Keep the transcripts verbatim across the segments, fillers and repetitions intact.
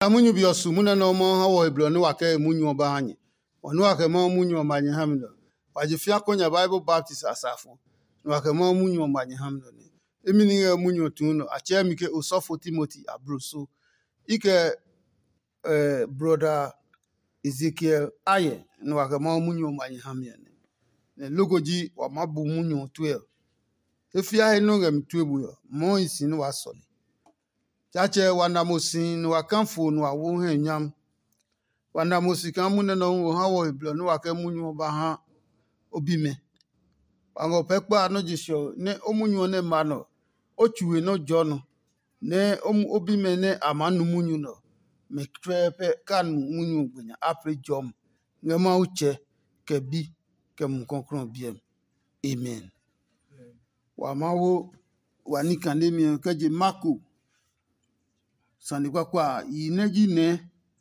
Munyu be ɔ su munyu nɛ Mawu ha wɔ he blɔ nɛ wa kɛ he munyu ɔ ba ha nyɛ. Wɔ nɛ wa kɛ Mawu munyu ɔ ma nyɛ ha mi nɛ ɔ, wa je fĩa kɔ nya Bible baptist asafo, nɛ wa kɛ Mawu munyu ɔ ma nyɛ ha mi nɛ ɔ nɛ. Imi ní ngɛ munyu ɔ tuu nɔ, a tsɛɛ mi ke osɔfo Timoti abloso. I kɛ eh, brɔda Ezekiel ayɛ, nɛ wa kɛ Mawu munyu ɔ ma nyɛ ha mi ɔ nɛ. Nɛ loko ji wa maa bu munyu ɔ tue ɔ. E fiae nɔ́ ngɛ mi tue bue ɔ, Mawu hi si nɛ waa sɔle. Tsaatsɛ wa na mo si nɛ wa ka fo nɛ wa wo hɛ nyam. Wa na mo si kaa munɛ nɛ ɔ hu ha wɔ he blɔ nɛ wa kɛ munyu ɔ ba ha o bimɛ. Wa ngɔ pɛ kpa nɔ́ je se ɔ, nɛ o munyu ɔ nɛ ma nɛ ɔ, o tsu he nɔ́ jɔ nɔ, nɛ o bimɛ nɛ a maa nu munyu nɛ ɔ, mɛ tsuɛ pɛ ka nu munyu ɔ gbe nya apli jɔmi ngɛ Mawu Tsɛ, kɛ Bi, kɛ Mumi Klɔuklɔu ɔ biɛ mi. Amen. Wa Mawu wa ní kanemi ɔ kɛ je Marko sane kpakpa a, yi nɛ ji nɛɛ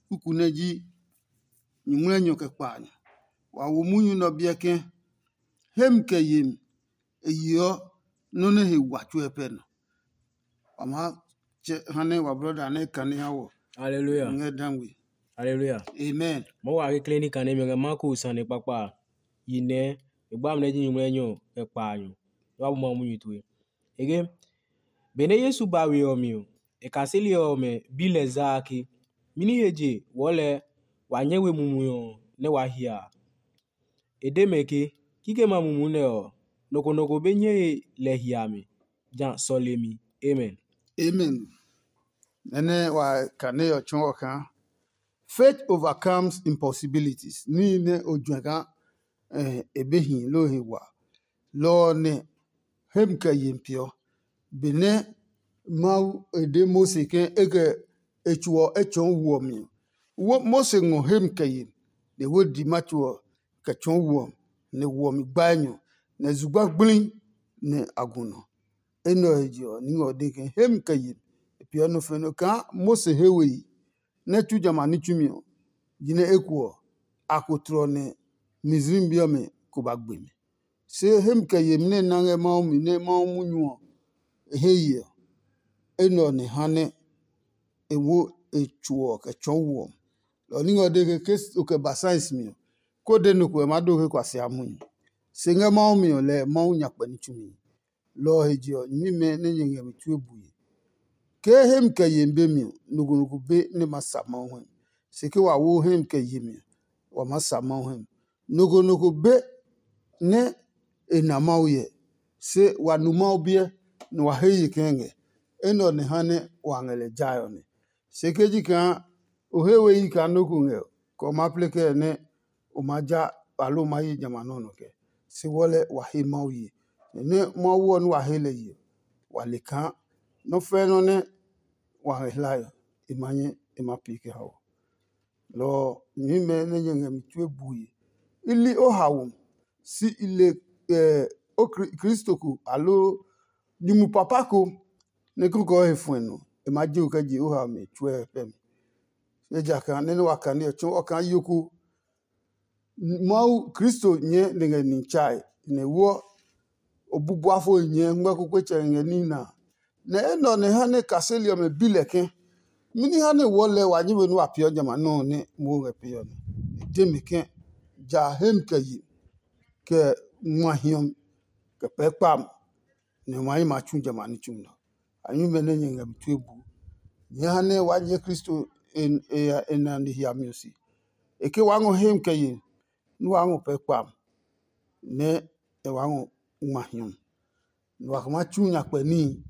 kuku nɛ ji nyuŋmlɛnyɔ kɛ kpaanyɔ. Wa wo munyu nɛ ɔ biɛ ke hemi kɛ yemi e yeɔ nɔ́ nɛ he wa tsuɛ pɛ nɔ. Wa maa tsɛ ha nɛ wa brɔda nɛ kane ha wɔ Hallelujah. Ngɛ dangwe. Hallelujah. Amen. Mɔ wa kekle ní kane mi ngɛ Marko sane kpakpa a, yi nɛ e gba mi nɛ ji nyuŋmlɛnyɔ kɛ kpaanyɔ. Wa bu ma munyu tue. Ege, benɛ Yesu ba we ɔ mi ɔ, e kaseli ɔmɛ bi lɛ zaa ke, mɛni he je wɔɔ lɛ wa nyɛ we mumi ɔ nɛ waa hia a? E de mɛ ke, kikɛmɛ a mumu nɛ ɔ, nɔ ko nɔ ko be nyɛe lɛ hiami, ja sɔlemi. Amen. Amen. Nɛnɛ wa kane ɔ tsɔɔ kaa faith overcomes impossibilities. Níhi nɛ o juɛ kaa eh, e be hi loo he wa. Lɔ ɔ nɛ hem kɛ yemi peeɔ. Benɛ Mawu e de Mose ke e kɛ e tso ɔ e tsɔɔ wu ɔ mi ɔ, Mose ngɔ hem kɛ yemi, nɛ e wo di ma tso ɔ kɛ tsɔɔ wu ɔ, nɛ wu ɔ mi gba enyɔ, nɛ zugba gblii nɛ a gu nɔ. Enɛ ɔ he je ɔ, ní ngɛ ɔ de ke hem kɛ yemi e peeɔ nɔ fɛ nɔ kaa Mose he we yi nɛ tsu jamɛ a ní tsumi ɔ, jinɛ eko ɔ, a ko tlɔ nɛ Misraim bi ɔmɛ ko ba gbe mi. Se hemi kɛ yemi nɛ e na ngɛ Mawu mi nɛ Mawu munyu ɔ e hɛ ye ɔ, enɛ ɔ nɛ ha nɛ e wo e tso ɔ kɛ tsɔɔ wu ɔ. Lɔ ɔ ní ngɛ ɔ de ke ke o kɛ ba science mi ɔ, ko de nɔ ko ɛ maa do ke kuasia munyu. Se ngɛ Mawu mi ɔ, lɛ Mawu nya kpɛ ní tsumi. Lɔ ɔ he je ɔ, nyɛmimɛ nɛ nyɛ ngɛ mi tue bue. Ke hemi kɛ yemi be mi ɔ, nɔ ko nɔ ko be nɛ ma sa Mawu hɛ mi. Se ke wa wo hemi kɛ yemi ɔ, wa maa sa Mawu hɛ mi. Nɔ ko nɔ ko be nɛ e na Mawu hyɛ, se wa nu Mawu biɛ, nɛ wa he ye kɛɛ ngɛ. Enɛ ɔ nɛ ha nɛ wa ngɛ lɛ jae ɔ nɛ. Se ke ji kaa o he we yi kaa nɔ́ ko ngɛ ɔ, kɛ o maa plɛ kɛɛ nɛ o maa ja aloo o maa ye jamɛ a nɔ́ nɔ kɛ. Se wɔɔ lɛ wa he Mawu ye. Nɛ nɛ Mawu ɔ nɛ wa he lɛ ye ɔ, wa le kaa nɔ́ fɛɛ nɔ́ nɛ wa ngɛ hlae ɔ, e ma nyɛ e ma pee kɛ hao. Lɔ ɔ, nyɛmimɛ nɛ nyɛ ngɛ mi tue bue. I li o haomi, si i le o Kristo ko aloo nyumu papa ko nɛ kikɔ he fuɛ nɔ, e maa je o kɛ je o haomi tsuɛ pɛ mi. Ejakaa nɛ nɛ wa kane ɔ tsɔɔ ɔ kaa yo ko Mawu Kristo nyɛɛ nɛ ngɛ ni tsae, nɛ wɔ o bu buafo nyɛɛ ngmɛ́ kpekpetsɛ ngɛ ní nɛ a. Nɛ enɛ ɔ nɛ ha nɛ kaseli ɔmɛ bi lɛ ke, mɛni ha nɛ wɔɔ lɛ wa nyɛmi nɛ wa peeɔ jamɛ a nɔuu nɛ Mawu ngɛ pee ɔ nɛ? E de mɛ ke, ja hemi kɛ ye, kɛ ngma hiɔmi, kɛ pɛɛ kpami, nɛ o ma hɛ ma tsu jamɛ a ní tsumi nɛ ɔ. Anyuimɛ nɛ nyɛ ngɛ mi tue buu, nyɛɛ ha nɛ waa nyɛɛ Kristo e nane hiami ɔ se. E ke waa ngɔ hemi kɛ ye, nɛ waa ngɔ pɛɛ kpami, nɛ e waa ngɔ ngma hiɔmi, nɛ wa kɛ maa tsu nyakpɛ níhi.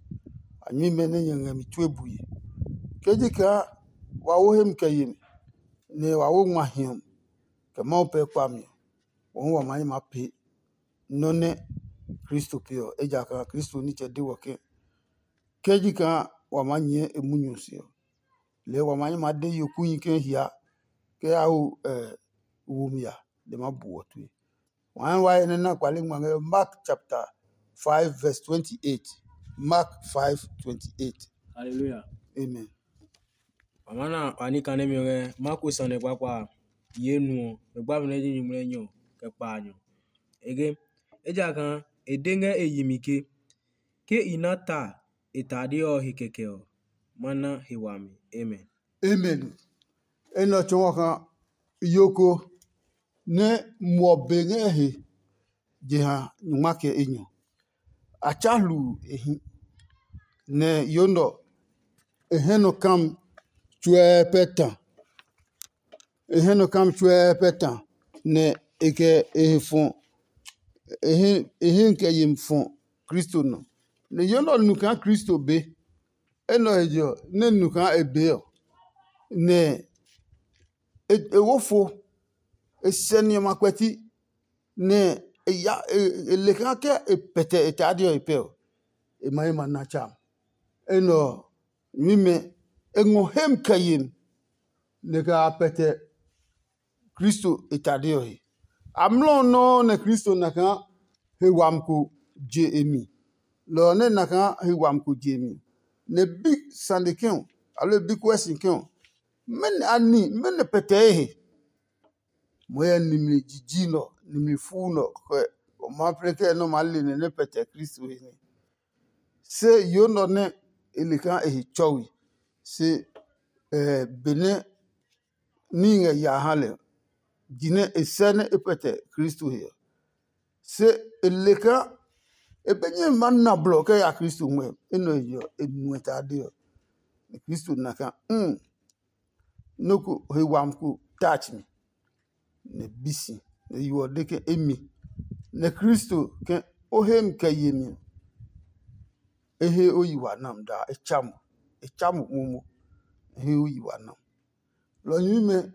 Anyuimɛ nɛ nyɛ ngɛ mi tue bue, ke ji kaa wa wo hemi kɛ yemi, nɛ wa wo ngma hiɔmi, kɛ Mawu pɛɛ kpami ɔ, wɔhu wa maa nyi maa pee nɔ́ nɛ Kristo pee ɔ, ejakaa Kristo nitsɛ de wɔ ke, ke ji kaa wa maa nyɛɛ e munyu ɔ se ɔ, lɛɛ wa maa nyi maa de yokuyi ke hia kɛ ya ho womi a, lɛ maa bu wɔ tue. Wa hɛ wa he nɛ na kpale ngma ngɛ Mark chapter five verse twenty-eight. Mark five twenty-eight. Hallelujah. Amen. Mama na wa ní kane mi ngɛ Marko sane kpakpa a, ye nu ɔ, mɛ gba mi nɛ ji nyumu nɛ nyɔ kɛ kpaanyɔ. Ege, ejakaa e de ngɛ e yi mi ke, ke i na ta e tade ɔ he kɛkɛ ɔ, ma na he wami. Amen. Amen. Enɛ ɔ tsɔɔ kaa yo ko nɛ muɔ be ngɛ he jeha nyungma kɛ enyɔ. A tsa hluu e hi, nɛ yo nɛ ɔ e hɛ nɔ kam tsuɛɛ pɛ ta. E hɛ nɔ kam tsuɛɛ pɛ ta, nɛ e kɛ e he fɔ e hɛ kɛ yemi fɔ Kristo nɔ. Nɛ yo nɛ ɔ nu kaa Kristo be. Enɛ ɔ he je ɔ, nɛ e nu kaa e bee ɔ, nɛ e wo fo, e sɛ ni ɔmɛ a kpɛti, nɛ e ya e le kaa ke e pɛtɛ e tade ɔ he pɛ ɔ, e ma ye ma na tsa. Enɛ ɔ, nyuimɛ, e ngɔ hem kɛ yemi, nɛ kɛ a pɛtɛ Kristo e tade ɔ he. Amlɔ ɔ nɔuu nɛ Kristo na kaa he wami ko je e mi. Lɔ ɔ nɛ na kaa he wami ko je e mi, nɛ e bi sane kɛ ɔ, aloo e bi kuɛ si kɛ ɔ, mɛnɔ a ni, mɛnɔ pɛtɛɛ he? Mo hyɛ nimli jiji nɔ, nimli fuu nɔ kɛ o ma plɛ kɛ nɛ o maa le nɛ nɛ pɛtɛ Kristo he nɛ. Se yo nɔ nɛ e le kaa e he tsɔwi, se benɛ níhi ngɛ ya ha lɛ, jinɛ e sɛ nɛ e pɛtɛ Kristo he ɔ. Se e le kaa e be nyɛ ma na blɔ kɛ ya Kristo ngmɛ, enɛ ɔ he je ɔ, e nuɛ tade ɔ. Nɛ Kristo na kaa, um, nɔ́ ko he wami ko touch mi, nɛ e bi si, nɛ yo ɔ de ke emi. Nɛ Kristo ke o he mi kɛ yemi ɔ, e he o yi wa nam daa, e tsa mo, e tsa mo momo, e he o yi wa nam. Lɔ nyuimɛ,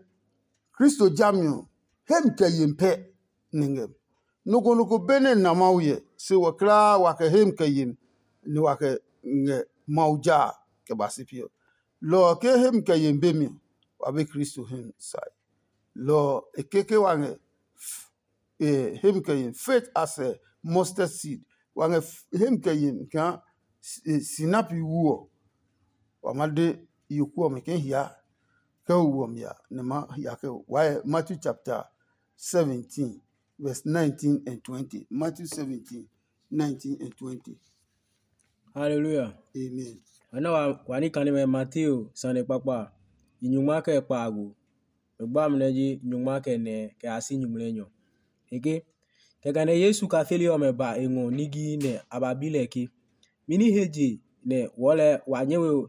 Kristo jami ɔ, he mi kɛ yemi pɛ nɛ ngɛ mi. Nɔ ko nɔ ko be nɛ na Mawu hyɛ, se wɔ kulaa wa kɛ he mi kɛ yemi, nɛ wa kɛ ngɛ Mawu ja a kɛ ba si pi ɔ. Lɔ ɔ ke he mi kɛ yemi be mi ɔ, wa be Kristo he mi sae. Lɔ ɔ e keke wa ngɛ he mi kɛ yemi faith as a mustard seed. Wa ngɛ he mi kɛ yemi kaa sinapi wu ɔ, wa ma de yoku ɔmɛ ke hia kɛ wo wu ɔ mi a, nɛ ma hia kɛ wo. Wa hyɛ Matthew chapter seventeen, verse nineteen and twenty. Matthew seventeen, nineteen and twenty. Hallelujah. Amen. Wa nɛ wa wa ní kanimɛ Mateo sane kpakpa a, yi nyungma kɛ kpaago. Nɔ gba amɛ nɛ ji nyungma kɛ nɛ kɛ ya si nyumu nɛ nyɔ. E ke, kɛkɛ nɛ Yesu kafeli ɔmɛ ba e ngɔ nigii nɛ a ba bi lɛ ke, mɛni he je nɛ wɔɔ lɛ wa nyɛ we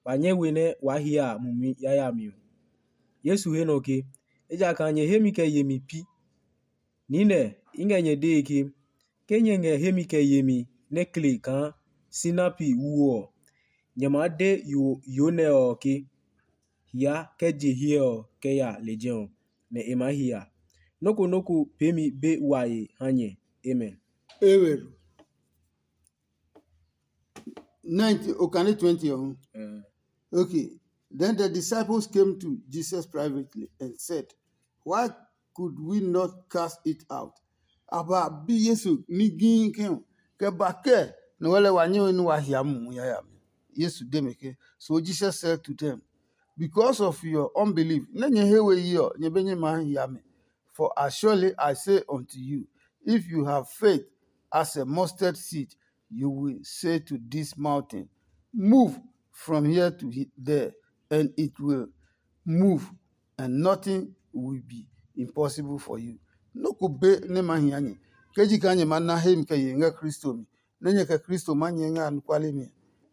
wa nyɛ we nɛ waa hyɛ a mumi yayami ɔ? Yesu he nɔ ke, ejakaa nyɛ hemi kɛ yemi pi. Niinɛ, i ngɛ nyɛ dee ke, ke nyɛ ngɛ hemi kɛ yemi nɛ kle kaa sinapi wu ɔ, nyɛ maa de yo yo nɛ ɔ ke, hia kɛ je hiɛ ɔ kɛ ya lejɛ ɔ, nɛ e maa hia. Nɔ́ ko nɔ́ ko peemi be wae ha nyɛ. Amen. Amen. Nineteen, okane twenty ɔ hu. Okay. Then the disciples came to Jesus privately and said, why could we not cast it out? A ba bi Yesu ní gii ke, kɛ ba kɛ nɛ wɛ lɛ wa nyɛ nú wa hia mumi yayami. Yesu de mɛ ke, so Jesus said to them, because of your unbelief, nɛ nyɛ he we yi ɔ, nyɛ be nyɛ maa hia mi. For assuredly I say unto you, if you have faith as a mustard seed, you will say to this mountain, move from here to there, and it will move, and nothing will be impossible for you. Nɔ́ ko be nɛ ma hia nyɛ, ke ji kaa nyɛ ma na hemi kɛ ye ngɛ Kristo mi, nɛ nyɛ kɛ Kristo ma nyɛ ngɛ anɔkuale mi.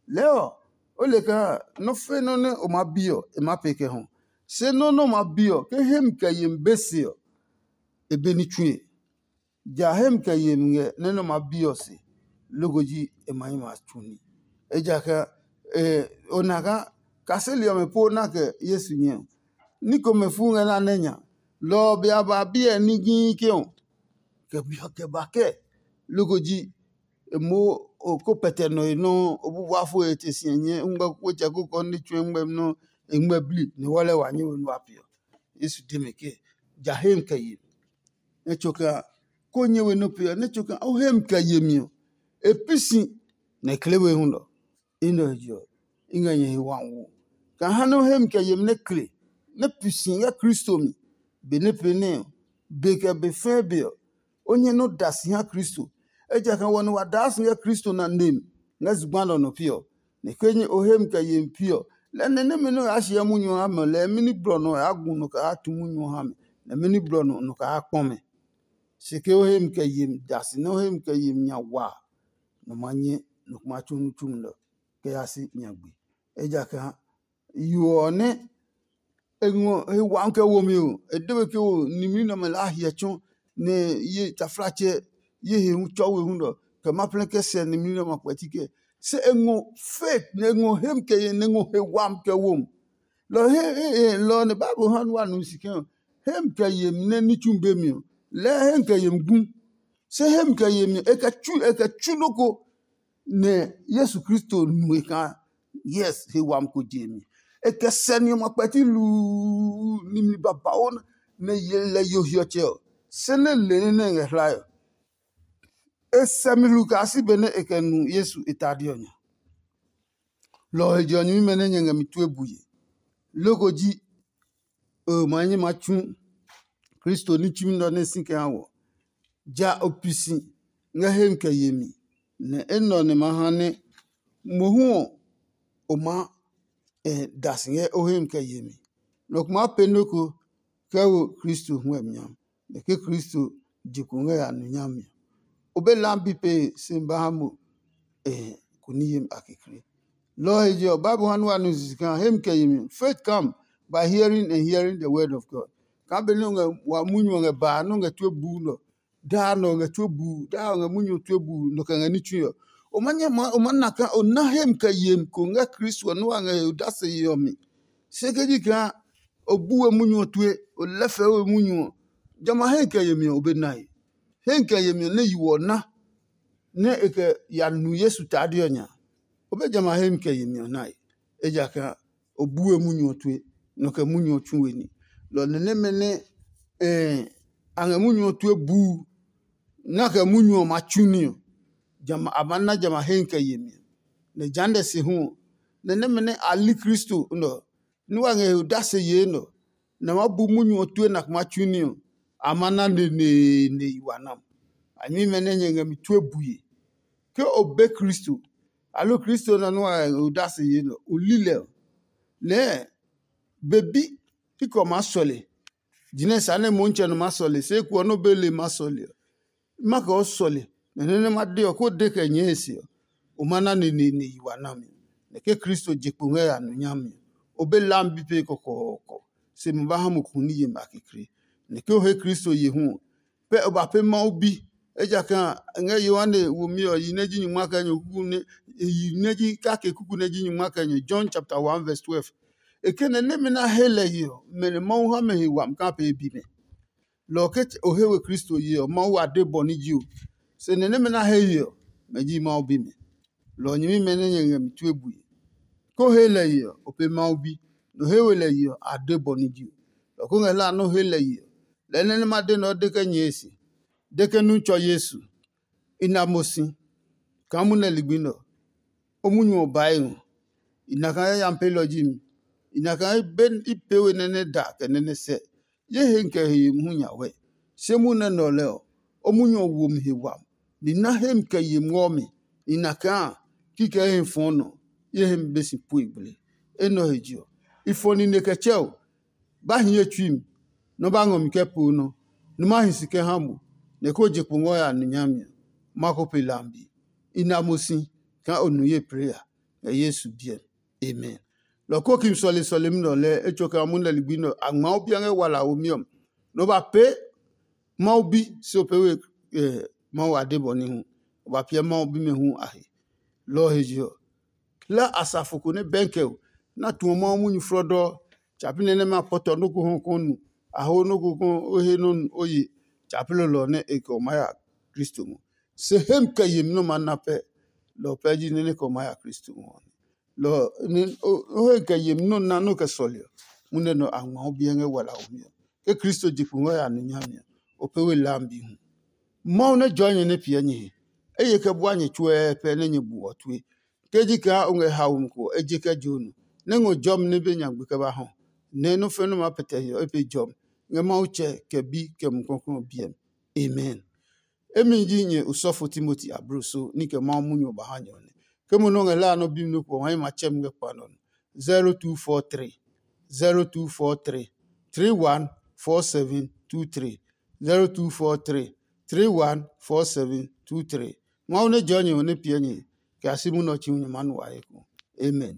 Lɛɛ ɔ, o le kaa nɔ́ fe nɔ́ nɛ o maa bi ɔ, e maa pee kɛ hɔ. Se nɔ́ nɛ o maa bi ɔ, ke hemi kɛ yemi be se ɔ, e be ní tsue. Ja hemi kɛ yemi ngɛ nɛ nɛ o maa bi ɔ se, loko ji e ma yi ma tsu ní. Ejakaa o na kaa kaseli ɔmɛ po na kɛ Yesu nyɛ ɔ, ní komɛ fu ngɛ na nɛ nya. Lɔ ɔ be a ba biɛ ní gii ke ɔ, kɛ biɔ kɛ ba kɛ, loko ji e mo o ko pɛtɛ nɔ e nɔuu, o bu bua fo e te si e nyɛ ngmɛ ko tsɛ ko kɔ ní tsue ngmɛ nɔ́ e ngmɛ bli ní wɔ lɛ wa nyɛ we nua piɔ. Yesu de mɛ ke, ja hem kɛ ye. Nɛ tso kaa ko nyɛ we nɔ piɔ, nɛ tso kaa o hem kɛ ye mi ɔ, e pi si nɛ e kle we hu nɔ. I nɔ he je ɔ, i ngɛ nyɛ he wami wo. Kaa ha nɛ o hem kɛ ye mi nɛ kle, nɛ pi si ngɛ Kristo mi, be nɛ pee nɛ ɔ, be kɛ be fɛɛ be ɔ, o nyɛ nɔ da si ha Kristo. Ejakaa wɔ nɛ wa daa si ngɛ Kristo na nem ngɛ zugba nɛ ɔ nɔ pi ɔ, nɛ ke nyɛ o hem kɛ ye mi pi ɔ, Lɛ nɛ nɛmɛ nɛ o yaa hyɛ munyu ɔ ha mɛ ɔ, lɛɛ mɛni blɔ nɔ o yaa gu nɔ kɛ yaa tu munyu ɔ ha mɛ, nɛ mɛni blɔ nɔ nɔ kɛ yaa kpɔ mɛ? Se ke o hemi kɛ yemi da si nɛ o hemi kɛ yemi nya waa, nɔ ma nyɛ nɔ ko ma tsu ní tsumi nɛ ɔ kɛ ya si nyagbe. Ejakaa yo ɔ nɛ e ngɔ he wami kɛ wo mi ɔ, e de we ke wo nimli nɛ ɔmɛ laa hiɛ tsɔ nɛ ye taflatsɛ ye he hu tsɔ we hu nɛ ɔ kɛ ma plɛ kɛ sɛ nimli nɛ ɔmɛ kpɛti kɛ. Se e ngɔ faith nɛ e ngɔ hemi kɛ ye nɛ e ngɔ he wami kɛ wo mi. Lɔ he he he lɔ nɛ Bible ha nu wa nu si kɛ ɔ, hemi kɛ yemi nɛ ní tsu be mi ɔ, lɛɛ hemi kɛ yemi gu. Se hemi kɛ yemi ɔ, e kɛ tsu e kɛ tsu nɔ́ ko nɛ Yesu Kristo nu e kaa yes he wami ko je mi. E kɛ sɛ ni ɔmɛ kpɛti luu nimli babauu nɛ ye lɛ yo hiɔtsɛ ɔ, se nɛ le ní nɛ e ngɛ hlae ɔ. E sɛ mi hlu kaa si benɛ e kɛ nu Yesu e tade ɔ nya. Lɔ ɔ he je ɔ nyɛmimɛ nɛ nyɛ ngɛ mi tue bue. Loko ji o ma nyɛ ma tsu Kristo ní tsumi nɛ ɔ nɛ si kɛ ha wɔ. Ja o pi si ngɛ hemi kɛ yemi, nɛ enɛ ɔ nɛ ma ha nɛ mohu ɔ o maa da si ngɛ o hemi kɛ yemi. Nɔ ko maa pee nɔ́ ko kɛ wo Kristo huɛmi nya. Nɛ ke Kristo je kpo ngɛ ya nu nyami ɔ, o be lam bi pee si ba ha mo ko ní yemi a kekle. Lɔ ɔ he je ɔ, Bible ha nu wa nu sisi kaa hemi kɛ yemi ɔ, faith come by hearing and hearing the word of God. Kaa benɛ o ngɛ wa munyu ɔ ngɛ baa nɛ o ngɛ tue buu nɛ ɔ, daa nɛ o ngɛ tue buu, daa o ngɛ munyu ɔ tue buu nɔ kɛ ngɛ ní tsui ɔ, o ma nyɛ ma o ma na kaa o na hemi kɛ yemi ko ngɛ Kristo ɔ nɛ wa ngɛ he odase ye ɔ mi. Se ke ji kaa o bu we munyu ɔ tue, o lɛfɛ we munyu ɔ, jamɛ a hemi kɛ yemi ɔ o be nae. Hemi kɛ yemi ɔ nɛ yi wɔ na nɛ e kɛ ya nu Yesu tade ɔ nya, o be jamɛ a hemi kɛ yemi ɔ nae, ejakaa o bu we munyu ɔ tue, nɔ kɛ munyu ɔ tsu we ní. Lɔ nɛ nɛmɛ nɛ a ngɛ munyu ɔ tue buu, nɛ a kɛ munyu ɔ ma tsu ní ɔ, a ma na jamɛ a hemi kɛ yemi ɔ. Nɛ jehanɛ se hu ɔ, nɛ nɛmɛ nɛ a li Kristo nɛ ɔ, nɛ wa ngɛ he odase yee nɛ ɔ, nɛ a maa bu munyu ɔ tue nɛ a kɛ maa tsu ní ɔ, a ma na neneene yi wa nɛ ɔ. A nyɛmimɛ nɛ nyɛ ngɛ mi tue bue. Ke o be Kristo, aloo Kristo nɛ nɛ wa ngɛ he odase yee nɛ ɔ, o li lɛ ɔ, lɛɛ be bi pi kɛ o maa sɔle. Jinɛ sa nɛ Motsɛ nɔ maa sɔle, se eko ɔ nɛ o be le ma sɔle ɔ, ma kɛ o sɔle, nɛ nɛ nɛ ma de ɔ, ko de kɛ nyɛɛ e se ɔ, o ma na neneene yi wa nami. Nɛ ke Kristo je kpo ngɛ ya nu nyami ɔ, o be lam bi pee kɔkɔɔkɔ, se ma ba ha mo hu ní yemi a kekle. Nɛ ke o he Kristo ye hu ɔ, pɛ o ba pee Mawu bi. Ejakaa ngɛ Yohane womi ɔ yi nɛ ji nyingma kɛ enyɔ kuku nɛ yi nɛ ji kake kuku nɛ ji nyingma kɛ enyɔ, John chapter one verse twelve. E ke nɛ nɛmɛ nɛ a he lɛ ye ɔ, mɛ nɛ Mawu ha mɛ he wami kaa pee bi mɛ. Lɔ ɔ ke o he we Kristo ye ɔ, Mawu a de bɔ ní ji o. Se nɛ nɛmɛ nɛ a he ye ɔ, mɛ ji Mawu bimɛ. Lɔ ɔ nyɛmimɛ nɛ nyɛ ngɛ mi tue bue. Ke o he lɛ ye ɔ, o pee Mawu bi, nɛ o he we lɛ ye ɔ, a de bɔ ní ji o. Lɔ ko ngɛ hlaa nɛ o he lɛ ye ɔ, lɛɛ nɛ nɛ ma de nɛ o de kɛ nyɛɛ e se. De ke nu tsɔ Yesu, i na mo si kaa munɛ ligbi nɛ ɔ, o munyu ɔ baa e ngɔ. I na kaa yayami peelɔ ji mi. I na kaa be i pee we nɛ nɛ da kɛ nɛ nɛ sɛ. Ye he kɛ he yemi hu nya wɛ. Se munɛ nɛ ɔ lɛ ɔ, o munyu ɔ wo mi he wami. Ni na hemi kɛ yemi ngɔ mi. I na kaa kikɛ he fɔɔ nɔ, ye hemi be si pue gble. Enɛ ɔ he je ɔ, i fɔ nine kɛ tsɛ o. Ba hi ye tsui mi, nɔ ba ngɔ mi kɛ poo nɔ, nɔ ma hi si kɛ ha mo, nɛ ko je kpo ngɔ ya nu nyami ɔ, ma ko pe lambi. I na mo si kaa o nu ye plee ya, ngɛ Yesu biɛ mi. Amen. Lɔ ko ki sɔle sɔlemi nɛ ɔ lɛɛ etsɔ kɛ ma munɛ ligbi nɛ ɔ, a ngma o bia ngɛ wala womi ɔ mi. Nɔ ba pee Mawu bi se o pee we Mawu a de bɔ ní hu. O ba piɛ Mawu bimɛ hu a he. Lɔ ɔ he je ɔ, hla asafo ko nɛ bɛnkɛ o nɛ a tuɔ Mawu munyu flɔdɔɔ. Tsa pi nɛ nɛ ma pɔtɔ nɔ́ ko hɔ kɔn nu, a ho nɔ́ ko kɔn o he nɔ́ nu o ye. Tsa pi lɔlɔ nɛ e kɛ o maa ya Kristo ngɔ. Se hemi kɛ yemi nɛ o maa na pɛ, lɔ ɔ pɛ ji nɛ nɛ kɛ o maa ya Kristo ngɔ ɔ. Lɔ ɔ, o he kɛ yemi nɛ o na nɛ o kɛ sɔle ɔ, munɛ nɛ a ngma o biɛ ngɛ wala womi ɔ. Ke Kristo je kpo ngɛ ya nu nyami ɔ, o pee we lam bi hu. Mawu nɛ jɔɔ nyɛ nɛ piɛ nyɛ he. Eye kɛ bua nyɛ tsuɛɛ pɛ nɛ nyɛ bu ɔ tue. Ke ji kaa o ngɛ haomi ko ɔ, e je kɛ je o nɔ, nɛ ngɔ jɔmi nɛ be nyagbe kɛ ba hɔ, nɛ nɔ́ fɛnɛ maa pɛtɛ hiɔ e pe jɔmi ngɛ Mawu Tsɛ, kɛ Bi, kɛ Mumi Klɔuklɔu ɔ biɛ mi. Amen. Emi ji nyɛ osɔfo Timoti abloso ní kɛ Mawu munyu ɔ ba ha nyɛ ɔ nɛ. Ke mo nɔ́ ngɛ hlaa nɔ́ bi mi nɔ́ ko ɔ, ha nyɛ ma tsɛ mi ngɛ kpa nɛ ɔ nɔ. zero two four three, zero two four three, three one four seven two three, zero two four three, three one four seven two three. Mawu nɛ jɔ nyɛ ɔ nɛ piɛ nyɛ kɛ a si munɔ tsi hu nyɛ ma nu waye ko. Amen.